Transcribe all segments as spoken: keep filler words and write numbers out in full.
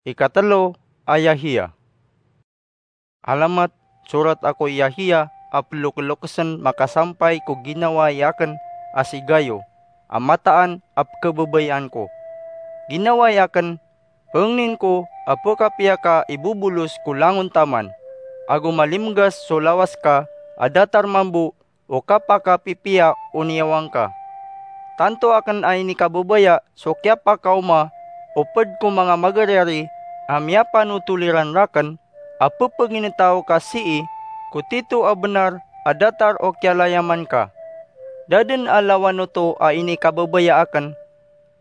Ikatelo a Yahiya. Alamat, sorat ako i Yahiya a pelokelokesen makasampay ko ginawai aken a si Gayo, a mataan a pekebebayaan ko. Ginawai aken, pengnin ko a pekapiya ka i Bubulos ko langon taman, ago malimegas so lawas ka a datar mambo o kapakapipiya o niyawang ka. Tanto aken a inikababaya so kiyapakaoma o ped ko manga magariari a miyapanotol iran raken a pepeginetaw ka sii ko tito a benar a datar o kiyalayaman ka. Da den a lawan oto a inikababaya aken,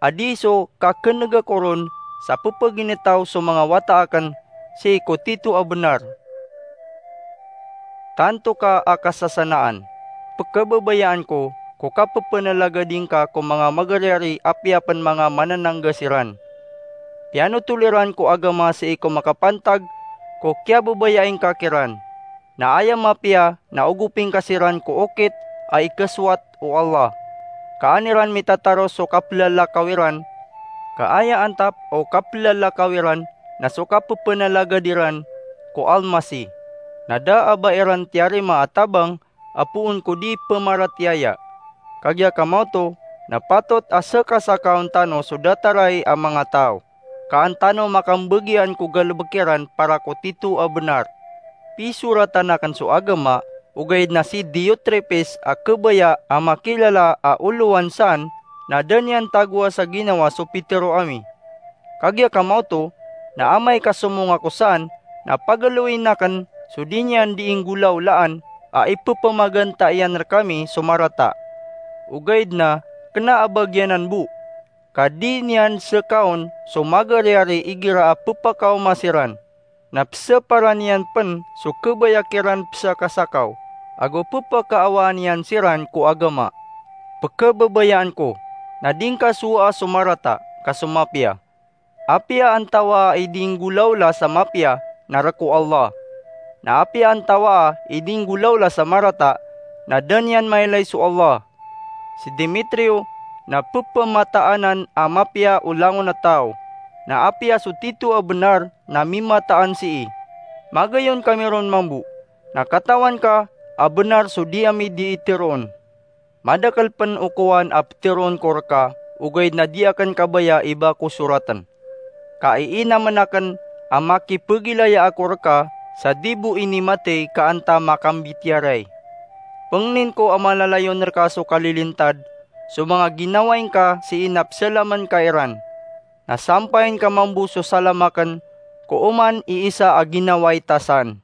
a di so kakeneg ako ron sa pepeginetaw so manga wata aken sii ko tito a benar. Tanto ka a kasasanaan, pekebabayaan ko ko kapepenalagading ka ko manga magariari apiya pen manga mananangga siran. Piyanotol iran ko agama sii ko makapantag ko kiyababayaing ka kiran. Na aya mapiya na ogoping ka siran ko okit a ikesowat o Allah, ka an iran mitataro so kapelalakaw iran, ka aya antap o kapelalakaw iran na so kapepenalagad iran ko Almasih, na da a ba iran tiyarima a tabang a poon ko di pemaratiyaya. Kagiya kamaoto, na patot a sekasakaon tano so dataray a manga taw, ka an tano makambegian ko galebek iran para ko tito a benar. Pisoratan aken so agama, ogaid na si Diotrefes a kebaya a makilala a olowan san, na da niyan tagoa sa ginawa so pitero ami. Kagiya kamaoto, na amay ka somong ako san, na pagaloyin aken so di niyan di inggolawlaan a ipepemaganta iyan rekami so marata. Ogaid na kena a bagianan bo, ka di niyan sekaon so magariari igira a pepakaoma siran. Na peseparan iyan pen so kebaya kiran pesakasakaw, ago pepakaawaan iyan siran ko agama. Pekebabayaan ko, na di ngka sowaa so marata ka so mapiya. Apiya antawaa i di nggolawla sa mapiya, na rek o Allah. Na apiya antawaa i di nggolawla sa marata, na da niyan mailay so Allah. Si Demetrio na pepemataanan a mapiya o langon a taw, na apiya so tito a benar na mimataan sii. Magayon kami ron mambo, na katawan ka a benar so di ami di iteroon. Madakel pen o kowan a peteroon ko reka, ogaid na di aken kabaya i ba ko soraten. Ka iinamen aken a makipegilaya ako reka sa di bo inimatey ka anta makambitiyarai. Pengnin ko a malalayon reka so kalilintad so manga ginawai ngka sii na pesalamen ka iran. Na sampayin ka mambo so salam aken ko oman i isa a ginawai ta san.